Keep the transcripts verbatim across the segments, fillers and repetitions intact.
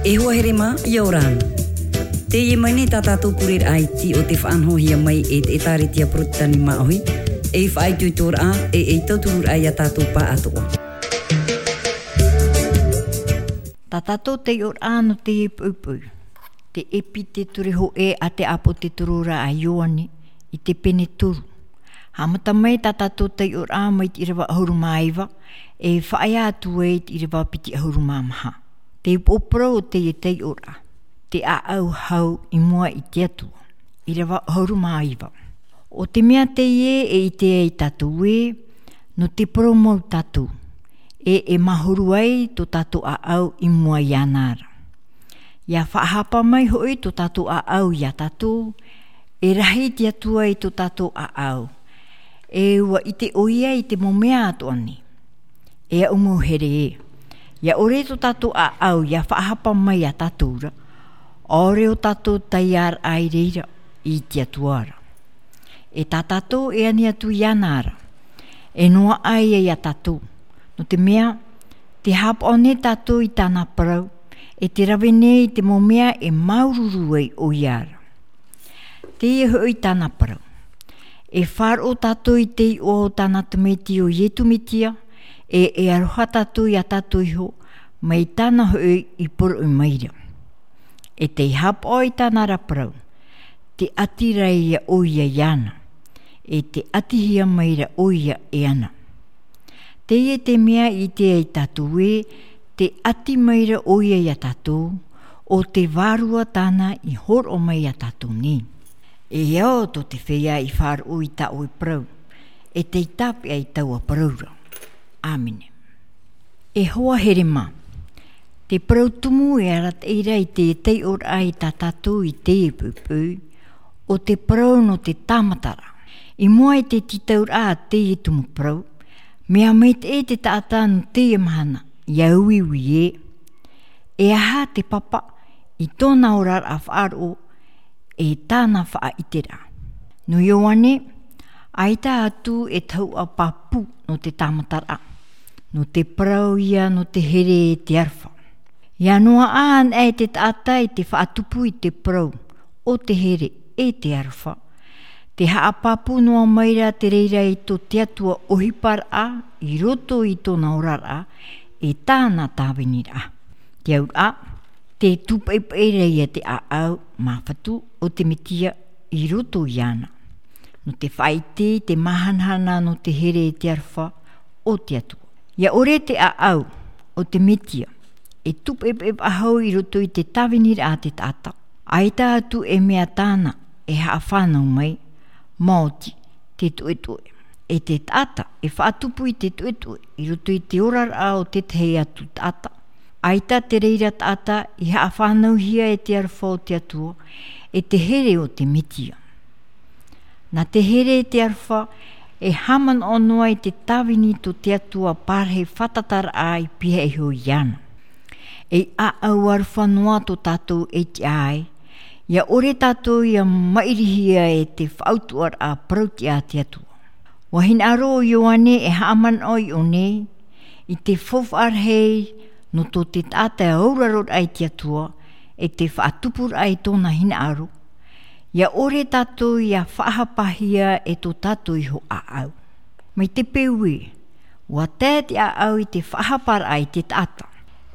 E hoa here mā, ʻia ora na. Teie mai nei tā tātou pureraʻa iti o te faʻanahohia mai e te ʻĒtārētia Porotitani Māʻohi, ei faʻaitoitoraʻa, e ei tauturu-raʻa ia tātou pāʻatoʻa. Tā tātou taiʻoraʻa nō teie poʻipoʻi, te ʻēpitētore hōʻē a te ʻāpōsetolo a Ioane, i te pene toru. Haʻamata mai tā tātou taiʻoraʻa mai te ʻīrava ʻahuru mā iva, e faʻaea atu ai i te ʻīrava piti ʻahuru mā maha. Te upoʻo parau o teie taiʻoraʻa, te ʻāʻau hau i mua i te Atua. ʻĪrava ʻahuru mā iva. ʻO te mea teie e ʻite ai tātou ē, nō te parau mau tātou, e, e mahuru ai tō tātou ʻāʻau i mua iāna ra. ʻIa faʻahapa mai hoʻi tō tātou ʻāʻau ia tātou, e rahi te Atua i tō tātou ʻāʻau. E ʻua ʻite ʻoia i te mau mea atoʻa nei. E aʻu mau here ē, ʻia ʻore tō tātou ʻāʻau ʻia faʻahapa mai ia tātou ra, ʻaore ʻo tātou taiaraʻa i reira i te Atua ra. E tā tātou e ani atu iāna ra, e noaʻa ïa ia tātou, nō te mea, tē haʻapaʻo nei tātou i tāna parau, e tē rave nei i te mau mea e māuruuru ai ʻoia ra. Teie hoʻi tāna parau. E faʻaroʻo tātou i te iʻoa o tāna tamaiti ʻo Iesu Mesia, e, e aroha tātou ia tātou iho, mai tāna hoʻi i poroʻi mai ra. E tē haʻapaʻo i tāna ra parau, tē ʻati ra ïa ʻoia iāna, e tē ʻatihia mai ra ʻoia iāna. Teie te mea i ʻite ai tātou ē, tē ʻati mai ra ʻoia ia tātou, ʻo te Vārua tāna i hōroʻa mai ia tātou nei. E ao tō te feiā i faʻaroʻo i tā ʻoe parau, e tei tāpeʻa i taua parau ra. ʻĀmene. E hoa here mā, te parau tumu e arataʻi ra i te taiʻoraʻa ia tātou i teie poʻipoʻi, ʻo te parau nō te tāmataraʻa. I mua i te tītauraʻa a teie tumu parau, mea maitaʻi te taʻata nō teie mahana, ʻia uiui ē, e aha te papa i tōna oraraʻa faʻaroʻo, e tāna faʻaʻiteraʻa. Nō Ioane, ʻaita atu e tahuʻa pāpū nō te tāmataraʻa, nō te parau ïa nō te here e te aroha. ʻIa noaʻa anaʻe te taʻata i te faʻatupu i te parau o te here e te aroha, tē haʻapāpū noa mai ra te reira i tō te Atua ʻohiparaʻa i roto i tōna oraraʻa, e tāna tāviniraʻa. Te auraʻa, tē tūpaʻipaʻi ra ïa te ʻāʻau māfatu o te Mesia i roto iāna, nō te faʻaʻite i te māhanahana nō te here e te aroha o te Atua. ʻIa ʻore te ʻāʻau o te Mesia e tūpaʻipaʻi faʻahou i roto i te tāviniraʻa a te taʻata, ʻaita atu e mea tāna e haʻafānau mai, maoti te toʻetoʻe. E te taʻata e faʻatupu i te toʻetoʻe i roto i te oraraʻa o te tahi atu taʻata, ʻaita te reira taʻata i haʻafānauhia e te aroha o te Atua, e te here o te Mesia. Nā te here e te aroha, e haʻamanaʻo noa i te tāvini tō te Atua parahi fātataraʻa i pihaʻi iho iāna. E ʻāʻau aroha noa tō tātou e tiʻa ai, ʻia ʻore tātou ʻia maʻirihia e te faʻautuʻaraʻa parau-tiʻa a te Atua. ʻUa hinaʻaro ʻo Ioane e haʻamanaʻo i ʻō nei, i te faufaʻa rahi nō tō te taʻata e auraro ra i te Atua, e te faʻatupuraʻa i tōna hinaʻaro, ʻia ʻore tātou ʻia faʻahapahia e tō tātou iho ʻāʻau. Mai te peu ē, ʻua tae te ʻāʻau i te faʻahaparaʻa i te taʻata.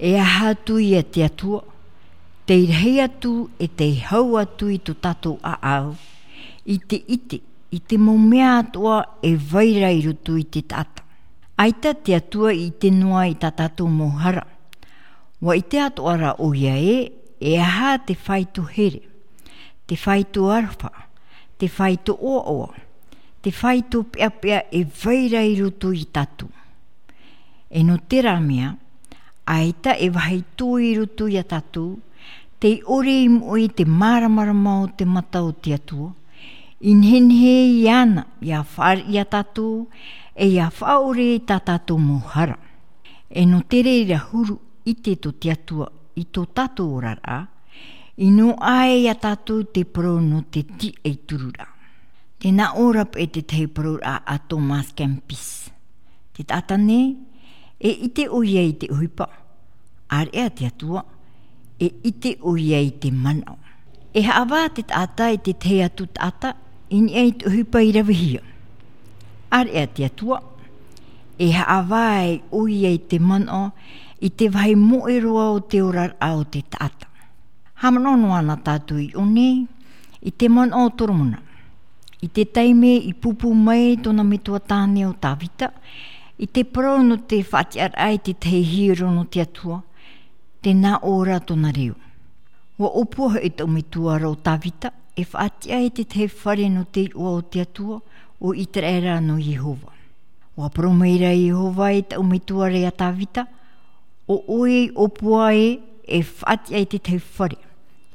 E aha atu ïa te Atua, tei rahi atu e tei hau atu i tō tātou ʻāʻau, i te ʻite, i te mau mea atoʻa e vai ra i roto i te taʻata. ʻAita te Atua i ʻite noa i tā tātou mau hara. ʻUa ʻite atoʻa ra ʻoia ē, e aha te fāito here, te fāito aroha, te fāito ʻoaʻoa, te fāito peʻapeʻa e vai ra i roto ia tātou. E nō terā mea, ʻaita e vāhi toe i roto ia tātou, tei ʻore i moʻe i te māramarama o te mata o te Atua, i nehenehe iāna ʻia fāriʻi ia tātou, e ʻia faʻaʻore i tā tātou mau hara. E nō te reira huru ʻite tō te Atua i tō tātou oraraʻa, i noaʻa ai ia tātou te parau nō te tiʻaturiraʻa. Tē nā ʻō ra paʻi te tahi parauraʻa a Thomas à Kempis. Te taʻata nei, e ʻite ʻoia i te ʻohipa, ʻāreʻa te Atua, e ʻite ʻoia i te manaʻo. E haʻavā te taʻata i te tahi atu taʻata i niʻa i te ʻohipa i ravehia. Area te Atua, e haʻavā ai ʻoia i te manaʻo i te vāhi moʻe roa o te oraraʻa o te taʻata. Haʻamanaʻo noa na tātou i ʻō nei i te manaʻo o Toromona. I te taime i pūpū mai tōna metua tāne o Tāvita, i te parau nō te faʻatiʻaraʻa i te tahi hiero nō te Atua, tē nā ʻō ra tōna reo. ʻUa ʻōpua hoʻi taʻu metua ra ʻo Tāvita, e faʻatiʻa i te tahi fare nō te iʻoa o te Atua, ʻo Iteraera nō Iehova. ʻUa parau mai ra Iehova i taʻu metua ra iā Tāvita, ʻo ʻoe i ʻōpua ē, e faʻatiʻa i te tahi fare,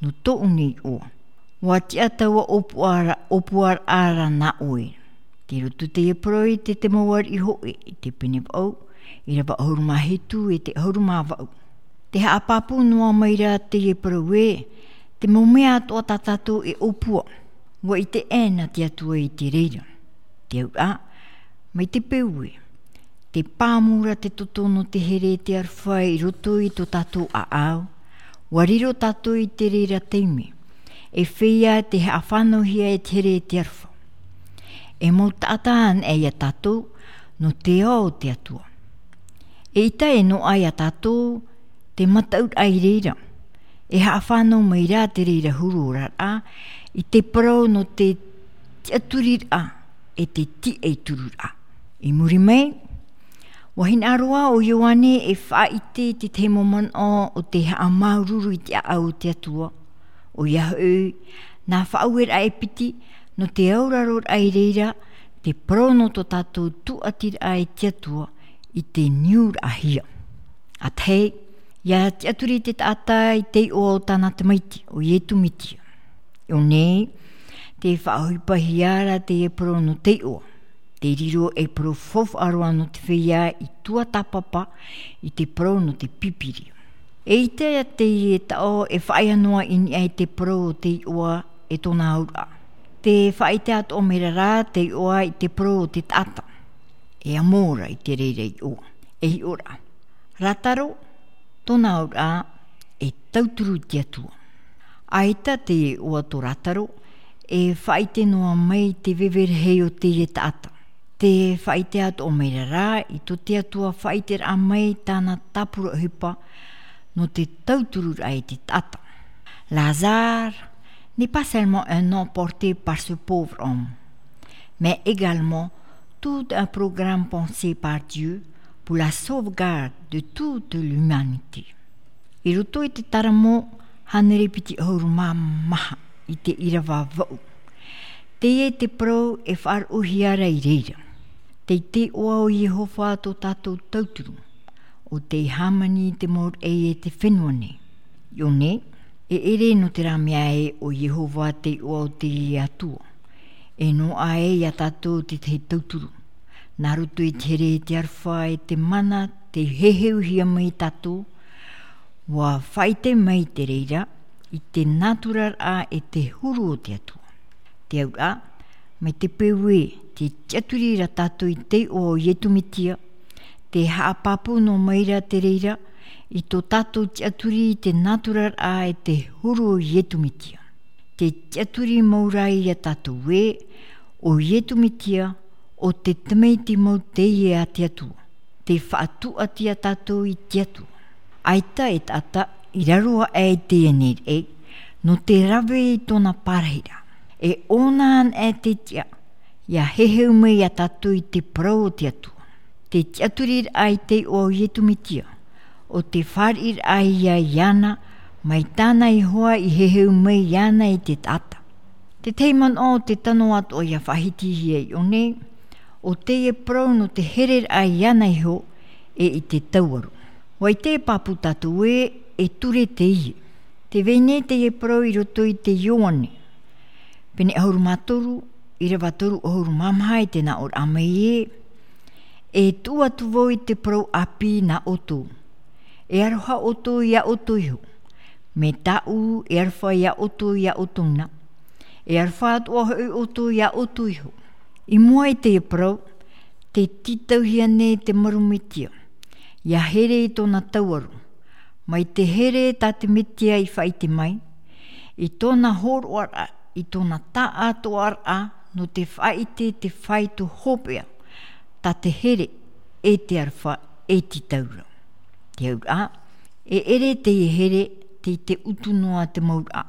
nō tōʻu nei iʻoa. ʻUa tiʻa taua ʻōpua ra, ʻōpuaraʻa ra nā ʻoe. Tei roto teie parau i te Tēmouariʻi Hōʻē, i te pene vaʻu, ʻīrava ʻahuru mā hitu e te ʻahuru mā vaʻu. Tē haʻapāpū noa mai ra teie parau ē, te mau mea atoʻa tā tātou e ʻōpua, ʻua ʻite ʻē na te Atua i te reira. Te auraʻa, mai te peu ē, tē pāmu ra te toto nō te here e te aroha i roto i tō tātou ʻāʻau, ʻua riro tātou i te reira taime, e feiā tē haʻafānauhia e te here e te aroha. E mau taʻata anaʻe iā tātou, nō te ao o te Atua. Eʻita e noaʻa iā tātou te mataʻuraʻa i reira, e haʻafānau mai rā te reira huru oraraʻa, i te parau nō te tiʻaturiraʻa, e te tiʻaturiraʻa. I muri mai, ʻua hinaʻaro ā ʻo Ioane e faʻaʻite i te tahi mau manaʻo o te haʻamāuruuru i te ʻāʻau o te Atua. ʻOia hoʻi, nā faʻaueraʻa e piti, nō te auraroraʻa i reira, te parau nō tō tātou tūʻatiraʻa i te Atua, i te niuraʻahia. ʻA tahi, ʻia tiʻaturi te taʻata i te iʻoa o tāna tamaiti, ʻo Iesu Mesia. I ʻō nei, tē faʻaʻohipahia ra teie parau nō te iʻoa. Tē riro ei parau faufaʻa roa nō te feiā i tuatāpapa i te parau nō te Pīpīria. Eʻita teie taʻo e faʻaea noa i niʻa i te parau o te iʻoa e tōna auraʻa. Tē faʻaʻite atoʻa mai ra rā te iʻoa i te parau o te taʻata. E amo ra i te reira iʻoa. E hiʻo ra. Lāzaro, tōna auraʻa, e tauturu i te Atua. ʻAita te iʻoa tō Lāzaro, e faʻaʻite noa mai te veve rahi o teie taʻata. Tē faʻaʻite atoʻa mai ra rā, i tō te Atua faʻaʻiteraʻa mai tāna tāpura ʻohipa, nō te tautururaʻa i te taʻata. Lazare n'est pas seulement un nom porté par ce pauvre homme, mais également tout un programme pensé par Dieu pour la sauvegarde de toute l'humanité. I roto i te Taramo hānere piti ʻahuru mā maha i te ʻīrava vaʻu. Teie te parau e faʻaroʻohia ra i reira. Tei te iʻoa o Iehova tō tātou tauturu, ʻo tei hāmani i te mau raʻi e te fenua nei. I ʻō nei, e ʻere nō terā mea ē ʻo Iehova te iʻoa o te Atua. E noaʻa ē iā tātou te tahi tauturu. Nā roto i te here e te aroha e te mana tei heheuhia mai tātou, ʻua faʻaʻite mai te reira, i te nāturaraʻa e te huru o te Atua. Te auraʻa, mai te peu ē, tē tiʻaturi ra tātou i te iʻoa o Iesu Mesia, tē haʻapāpū noa mai ra te reira, i tō tātou tiʻaturi i te nāturaraʻa e te huru o Iesu Mesia. Tē tiʻaturi mau ra iā tātou ē, ʻo Iesu Mesia, ʻo te tamaiti mau teie a te Atua. Tē faʻatūʻati iā tātou i te Atua. ʻAita e taʻata i raro aʻe i teie nei raʻi, nō te rave i tōna pārahiraʻa. E ʻōna anaʻe te tiʻa, ʻia heheu mai iā tātou i te parau o te Atua. Te tiʻaturiraʻa i te iʻoa o Iesu Mesia, ʻo te fāriʻiraʻa ia iāna, mai tāna iho ā i heheu mai iāna i te taʻata. Te tahi manaʻo o te tano atoʻa ʻia faʻahitihia i ʻō nei, ʻo teie parau nō te hereraʻa iāna iho, e i te tauaro. ʻUa ʻite e pāpū tātou ē, e ture teie. Tē vai nei teie parau i roto i te Ioane. Pene ʻahuru mā toru, ʻīrava toru ʻahuru mā maha i te nāʻōraʻa mai ē, e tuʻu atu vau i te parau ʻāpī nā ʻoutou. E aroha ʻoutou iā ʻoutou iho. Mai tāʻu e aroha iā ʻoutou iā ʻoutou na. E aroha atoʻa hoʻi ʻoutou iā ʻoutou iho. I mua i teie parau, tē tītauhia nei te maru Mesia. ʻIa here i tōna tauaro. Mai te here tā te Metia i faʻaʻite mai, i tōna hōroʻaraʻa, i tōna taʻatoʻaraʻa, nō te faʻaʻite te fāito hopeʻa, tā te here, e te aroha, e te taura. Te auraʻa, e ʻere teie here, tei te utu noa te mauraʻa.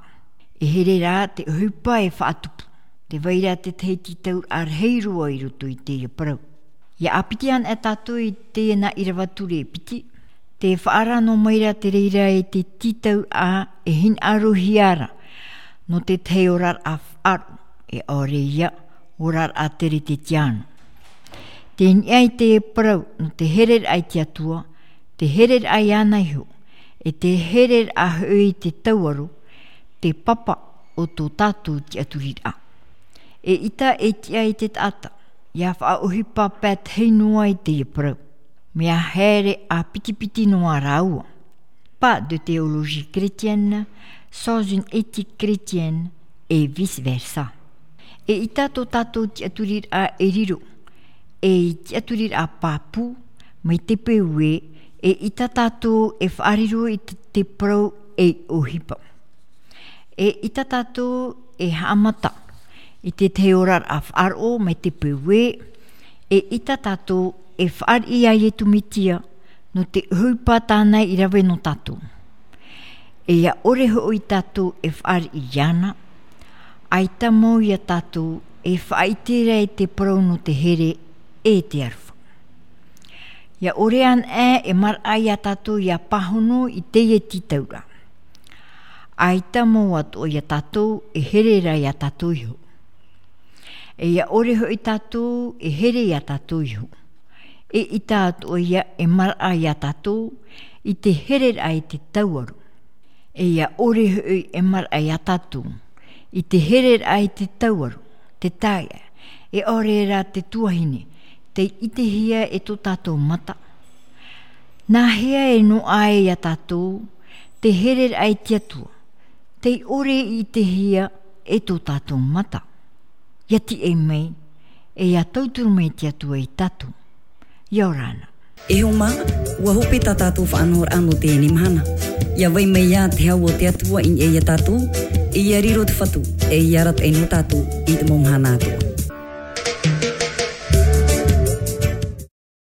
E here rā te ʻohipa e faʻatupu. Tē vai ra te tahi tītauraʻa rahi roa i roto i teie parau. ʻIa ʻāpiti ana e tātou i teie nā ʻīrava ture e piti, tē faʻaara noa mai ra te reira e te tītauraʻa e hinaʻarohia ra, nō te tahi oraraʻa faʻaroʻo, e ʻaore ia, oraraʻa teretetiano. Tē niʻa i te parau, nō te hereraʻa i te Atua, te hereraʻa iāna iho, e te hereraʻa hoʻi i te tauaro, te papa o tō tātou tiʻaturiraʻa. E ʻita e tiʻa i te taʻata, ʻia faʻaʻohipa pae tahi noa i teie parau. Mea here ʻāpitipiti noa rāua. Pas de théologie chrétienne sans une éthique chrétienne et vice-versa. E ʻita tō tātou tiʻaturiraʻa e riro, ei tiʻaturiraʻa pāpū, mai te peu ē, e ʻita tātou e faʻariro i te, te parau ei ʻohipa. E ʻita tātou e haʻamata i te tahi oraraʻa faʻaroʻo mai te peu ē, e ʻita tātou e fāriʻi iā Iesu Mesia nō te ʻohipa tāna i rave nō tātou. E ʻia ʻore hoʻi tātou e fāriʻi iāna, ʻaita mau iā tātou e faʻaʻite ra i te parau nō te here e te aroha. ʻIa ʻore anaʻe e maraʻa iā tātou ʻia pāhono i teie tītauraʻa. ʻAita mau atoʻa iā tātou e here ra iā tātou iho. E ʻia ʻore hoʻi tātou e here iā tātou iho. E ʻita atoʻa ia e maraʻa iā tātou i te hereraʻa i te tauaro. E ʻia ʻore hoʻi e maraʻa iā tātou i te hereraʻa i te tauaro, te taeaʻe, e ʻaore rā te tuahine, tei ʻitehia e tō tātou mata. Nāhea e noaʻa ai iā tātou te hereraʻa i te Atua, tei ʻore i ʻitehia e tō tātou mata? ʻIa tiʻa mai, e ʻia tauturu mai te Atua iā tātou. ʻIa ora na. E hoa mā, ʻua hope tā tātou faʻanahoraʻa nō teie mahana. ʻIa vai mai ā te hau o te Atua i niʻa iā tātou, e ʻia riro te Fatu, e ʻia arataʻi nō tātou i te mau mahana atoʻa.